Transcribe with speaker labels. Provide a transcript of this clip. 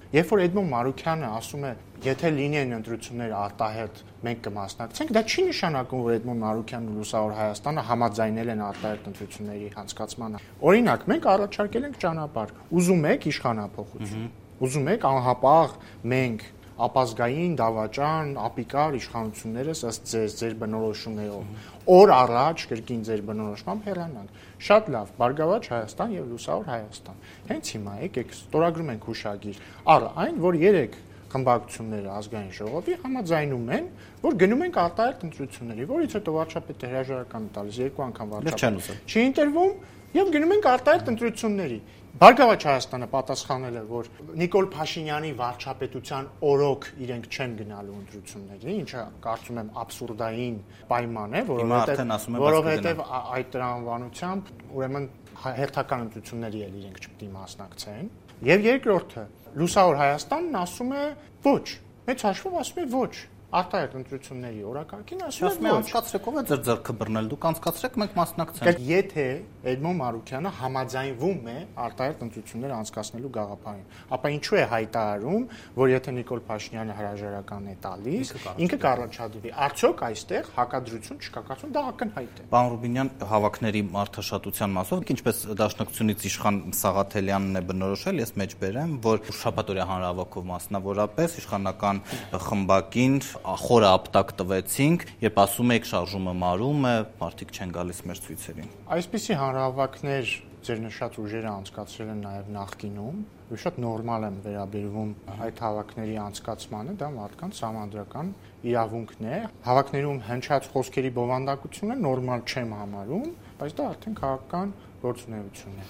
Speaker 1: Երբ որ Էդմոն Մարուքյանը ասում է, եթե լինեն ընտրություններ արտահերթ, մենք կմասնակցենք, դա չի նշանակում, որ Էդմոն Մարուքյանն ու Լուսավոր Հայաստանը համաձայնել են արտահերթ ընտրությունների անցկացմանը։ Օրինակ, մենք առաջարկել ենք ճանապարհ, ուզում եք իշխանափոխություն, ուզում եք անհապաղ մենք ապազգային, դավաճան, ապիկար իշխանություններս ըստ ձեր բնորոշումներով օր առաջ կրկին ձեր բնորոշմամբ հեռանանք։ Շատ լավ, Բարգավաճ Հայաստան եւ Լուսավոր Հայաստան։ Հենց հիմա եկեք ստորագրում ենք հուշագիր։ Առ այն, որ 3 խմբակցությունները ազգային ժողովի համաձայնում են, որ գնում ենք արտահերթ ընտրությունների, որից հետո վարչապետը հրաժարական տալիս 2 անգամ վարչապետ։ Չի ընտրվում եւ գնում ենք արտահերթ ընտրությունների։ Բարգավաճ Հայաստանը պատասխանել է, որ Նիկոլ Փաշինյանի վարչապետության օրոք իրենք չեն գնալու ընտրությունների, ինչը կարծում եմ աբսուրդային պայման է, որովհետև այդ տրամաբանությամբ ուրեմն հերթական ընտրությունների էլ իրենք չպետք է մասնակցեն։ Եվ երկրորդը, Լուսավոր Հայաստանն ասում է ոչ, մեծ հաշվով ասում է ոչ։ Արտահերթ ընտրությունների օրակարգին ասում է
Speaker 2: անցկացրեք, ով է ձեր ձեռքը բռնել, դուք անցկացրեք, մենք մասնակցենք։
Speaker 1: Եթե Էդմոն Մարուքյանը համաձայնվում է արտահերթ ընտրություններ անցկացնելու գաղափարին, ապա ինչու է հայտարարում, որ եթե Նիկոլ Փաշինյանը հրաժարական է տալիս, ինքը կառաջադրվի։ Արդյոք այստեղ հակադրություն չկա, կարծում դա ակնհայտ է։
Speaker 2: Պարոն Ռուբինյան, հավաքների մարդաշատության մասով, ինչպես Դաշնակցությունից իշխան Սաղաթելյանն է բնորոշել, ես մեջ բերեմ, որ շաբաթօրյա հանրահավաքով մասնավորապես իշխանական խմբակին խորը ապտակ տվեցինք, երբ ասում եք շարժումը մարում է, մարդիկ չեն գալիս մեր ցույցերին։
Speaker 1: Այսպիսի հանրահավաքներ ձեր նշած ուժերը անցկացրել են նաև նախկինում, ու շատ նորմալ եմ վերաբերվում այդ հավաքների անցկացմանը, դա մարդկանց համանդրական իրավունքն է։ Հավաքներում հնչած խոսքերի բովանդակությունը նորմալ չեմ համարում, բայց դա արդեն քաղաքական գործունեություն է։